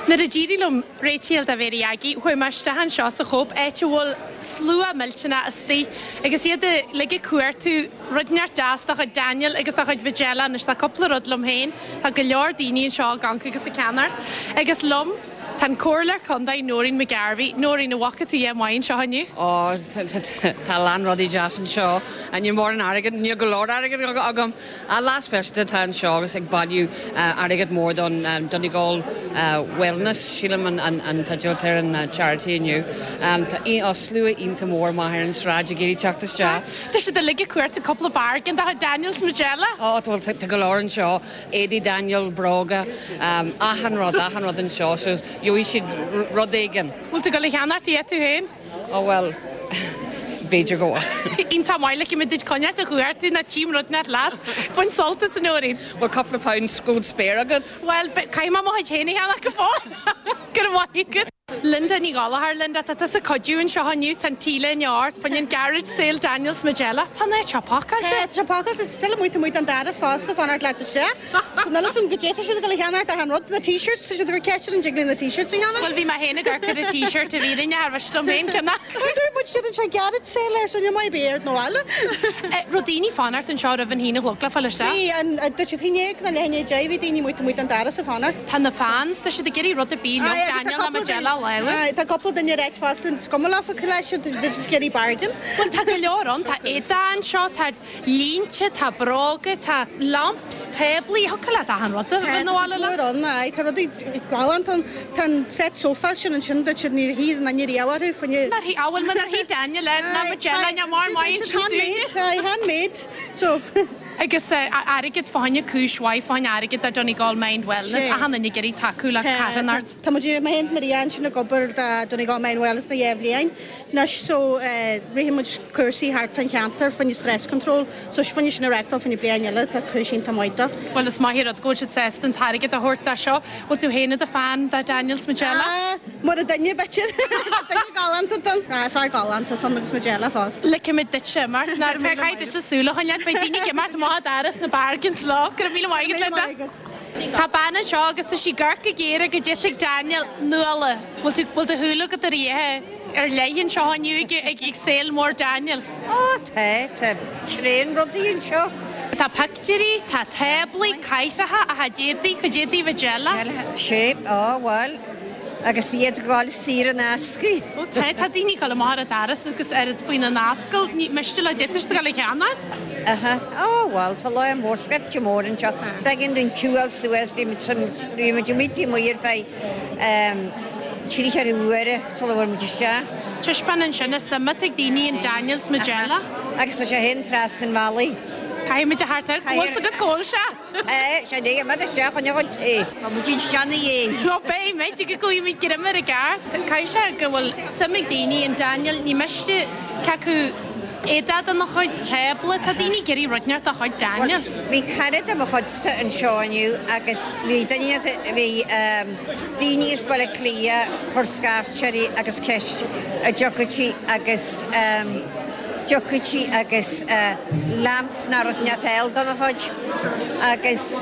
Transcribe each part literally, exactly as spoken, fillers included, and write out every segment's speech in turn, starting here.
Nuair a d'éirigh liom réitigh do Mhéirí Aggie, chuaigh mé isteach anseo sa Chóip áit a bhfuil slua millteanach istigh agus iad uilig ag cuartú rud inteacht deas dá chuid Daniel agus dá chuid Majella anois tá cúpla rud liom féin, tá go leor daoine anseo ag amharc agus ag ceannacht agus liom tá an Comhairleoir Contae Noreen McGarvey, Noreen an bhfaca tú a dhath maith anseo inniu. Ó tá lán rudaí deas anseo a ní mór an airgead ní go leor airgead agam a lá speisialta atá anseo agus ag bailiú airgead mór don Donegal Wellness sílim an an teideal ar an charity inniu. Tá á slua iontach mór maith ar an sráid ag iarraidh teacht isteach. Tá siad uilig ag cuartú cúpla bargain de Daniel 's Majella? Ó tá go leor anseo éadaí Daniel bróga achan rud achan rud anseo so gheobhaidh siad rud éigin. Bhfuil tú ag dul a cheannacht iad tú féin? Ó well b'fhéidir go. Iontach maith le muid coinneáil a chuartú na tím rud net leat. Bain sult as a Noreen. Bhfuil cúpla pound scód spare agat? Well caithfidh mé mo chuid féin a cheannach go fóill. Go raibh maith agat. Linda Ní Ghallchóir Linda tá tusa ag cuidiú anseo inniu tá an t-léine ort fá choinne an garage sale Daniel 's Majella Tá an áit seo pacáilte. Tá pacáilte still amuigh amuigh an doras fosta fanacht leat isteach. So níl san go dté siad go le cheannacht an rud na t-shirts tá siad gur ceist an dtig na t-shirts a cheannach. Well bhí mé féin ag amharc ar an t-shirt a bhí duine ar bhis liom féin ceannach. Dúirt muid siad an seo garage sale ar son mai béard nó eile. Raibh daoine fanacht anseo roimh an haon a chlog le fáil isteach. Bhí an dúirt siad hinnéag na lehinné bhí daoine amuigh amuigh an doras ag fanacht. Tá na fans tá siad ag iarraidh rud ar bith le Daniel le Majella lewe. Tá cúpla duine réit fosta is cuma leofa leis ag bargain. Well tá go leor ann tá éadaí anseo tá línte tá bróga tá lamps táblaí thug le achan rud nó le ann tá rudaí galánta tá an set sofa sin ansin dúirt siad ní hí na ní riabharthu faoine. Mar hí áhfuil mar hí Daniel le na Majella na mar maith Handmade, handmade. So Agus airgead fá choinne cúis mhaith fá choinne airgead do Donegal Mind Wellness achan duine ag iarraidh tacú le carthanacht. Tá muid mé féin Maria ansin ag obair do Donegal Mind Wellness na dhá bhliain. Anois so ritheann muid cúrsaí thart fán cheantar fá choinne stress control, so fá choinne sin a reáchtáil fá choinne bliain eile tá cúis iontach maith dó. Well is maith rud go bhfuil siad sásta an t-airgead a thabhairt dá seo, bhfuil tú féin i do fan de Daniel 's Majella? Mar a duine b'fhéidir duine galánta don fear galánta ton agus Majella fosta. Ligfimid duitse mar nar mé caithfidh duitse súil a choinneáil beidh daoine ag imeacht amach doras na bargains lá go raibh míle maith agat Linda. Tá bean anseo agus tá sí ag amharc go géar go dtitfidh Daniel Nuala. Bhfuil tú bhfuil do shúil agat ar oíche ar leith anseo inniu ag ag ag sale mór Daniel. Ó tá tá tréan rudaí anseo. Tá pictiúirí, tá táblaí caithreacha a chuid éadaí, cuid éadaí Majella. Sé á bhfuil agus iad gáil saor in aisce. Ó tá tá daoine ag dul amach ar an doras agus ar faoina n-ascaill ní miste le dtitfidh go le cheannacht. Aha ó bhfuil tá lá mór scaifte mór anseo. B'éigean dúinn queue suas bhí bhí muid muidí muir feadh trí ceathair uaire sula bhfuair muid isteach. Taispeáin ansin is suim ag daoine in Daniel 's Majella. Agus tá sé féin trasna an bhealaigh. Caithfidh muid a theacht air go bhfuil agat cóil se. É sé é me isteach an an té. Tá muid seanna é. Nó beidh muid go gcuí muid greim ar an gceart. Caithfidh sé go bhfuil suim ag daoine in Daniel ní miste cé acu éadaí dena chuid tábla tá daoine ag iarraidh rud inteacht dá chuid Daniel. Bhí cara de mo chuidsa anseo inniu agus bhí duine bhí daoine as Baile Cliath chuir scairt uirthi agus ceist a dtiocfaidh agus dtiocfaidh agus lamp ná rud inteacht eile dona chuid agus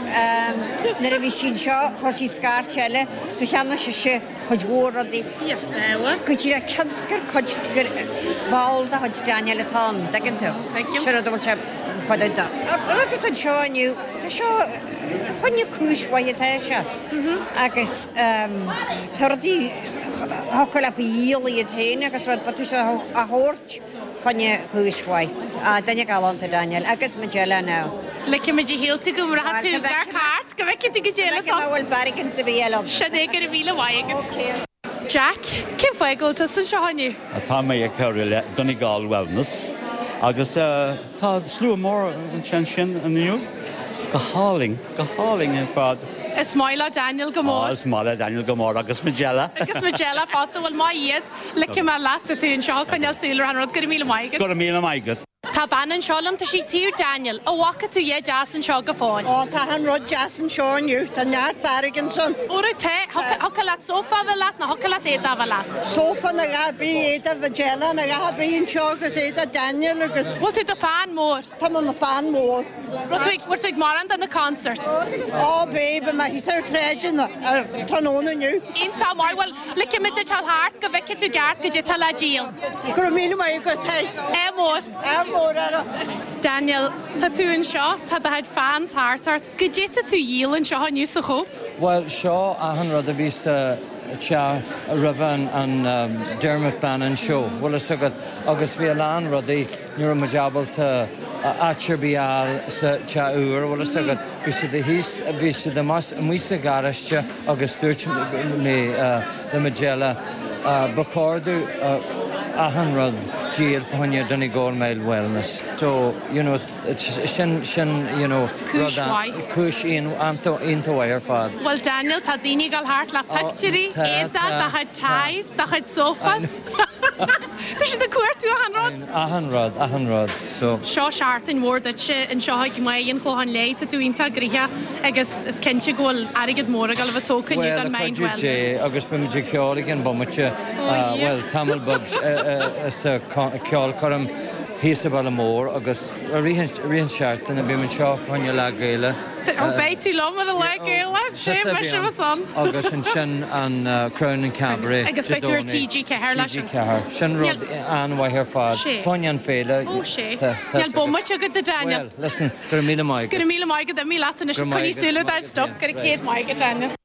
nuair a bhí sí anseo chuir sí scairt eile so cheannaigh sise cuid mhór rudaí. Go dtí le ceanscar cuid gur ball de chuid Daniel atá ann, tuigeann tú. Sin rud a bhfuil sé fada da. Rud atá anseo inniu tá seo choinne cúis mhaith atá sé agus tá rudaí thiocfadh leat a dhíol iad féin agus rud tá sé a thabhairt choinne cúis mhaith. Duine galánta Daniel agus Majella now. Ligfimid a shíolta go mbraithfidh tú gar cairt go bhfeicfidh tú go dtéile Go bhfuil bargain sa bhí eile. Sin é go raibh míle maith agat. Jack, cén fáth go bhfuil tusa anseo inniu? Tá mé ag cabhrú le Donegal Wellness agus tá slua mór ansin sin inniu go hálainn, go hálainn ar fad. Is maith le Daniel go mór. Is maith le Daniel go mór agus Majella. Agus Majella fosta bhfuil maith iad ligfidh mé leat tú anseo coinneáil súil ar an rud go raibh míle maith agat. Go raibh míle maith agat. Tá bean anseo liom tá sí taobh Daniel, an bhfaca tú a dhath deas anseo go fóill. Ó tá an rud deas anseo inniu, Tá neart bargains ann. Óra te, thiocfadh leat sófá a bheith leat nó thiocfadh leat éadach a bheith leat? Sófa nó a dhath ar bith, éadach Majella nó a dhath ar bith anseo agus éadach Daniel agus. Bhfuil tú i do fan mór? Tá mé i mo fan mór. Raibh tú ag, bhfuil tú ag mórán de na concerts? Ó bhí, bhí mé thíos ar an tsráid ar tráthnóna inniu. Iontach maith, bhuel ligfidh mé duit dul thart go bhfeicfidh tú i gceart goidé tá le díol. Go raibh míle maith agat, hey. Ádh mór. Ádh mór ort. Daniel, tá tú anseo, tá do chuid fans thart ort. Goidé tá tú a dhíol anseo inniu sa Chóip? Bhuel, seo achan rud a bhí sa teach roimh an an Dermot Bannon show, bhfuil fhios agat, agus bhí a lán rudaí, ní raibh muid ábalta áit ar bith a fháil sa teach úr, bhfuil fhios agat. Bhí siad thíos, bhí siad amuigh sa gharáiste agus dúirt mé le Majella, ba chóir dúinn achan rud díol fá choinne Donegal Mile Wellness. So, you know, sin, sin, you know, Cúis mhaith. Cúis iontach mhaith ar fad. Bhuel Daniel, tá daoine ag dul thart le pictiúirí, éadaí, do chuid ties, do chuid sofas. Tá siad ag cuartú achan rud. Achan rud, achan rud. So. Seo seachtain mhór duitse anseo ag Maigh an Chlocháin Léith, tá tú iontach gnoitheach agus is cinnte go bhfuil airgead mór ag dul a bheith tógtha inniu don Mind Wellness. Bhuel, le cuidiú Dé, agus beimid ag ceol ag an bomaite, bhuel, tamall beag sa ceolchoirm thíos sa Bhaile Mór agus i rith an seachtain bím anseo fá choinne Lá Gaelach. Ó beidh tú liom ar an Lá Gaelach, sé mise mo son. Agus ansin an Crown and Cabaret. Agus beidh tú ar TG Ceathair leis. TG Ceathair. Sin rud an-mhaith ar fad. Fá choinne an féile. Ó sé. Níl bomaite agat a Daniel. Well, listen, go raibh míle maith agat. Go raibh míle maith agat, imigh leat anois, coinnigh súil ar do stuff, go raibh céad maith agat Daniel.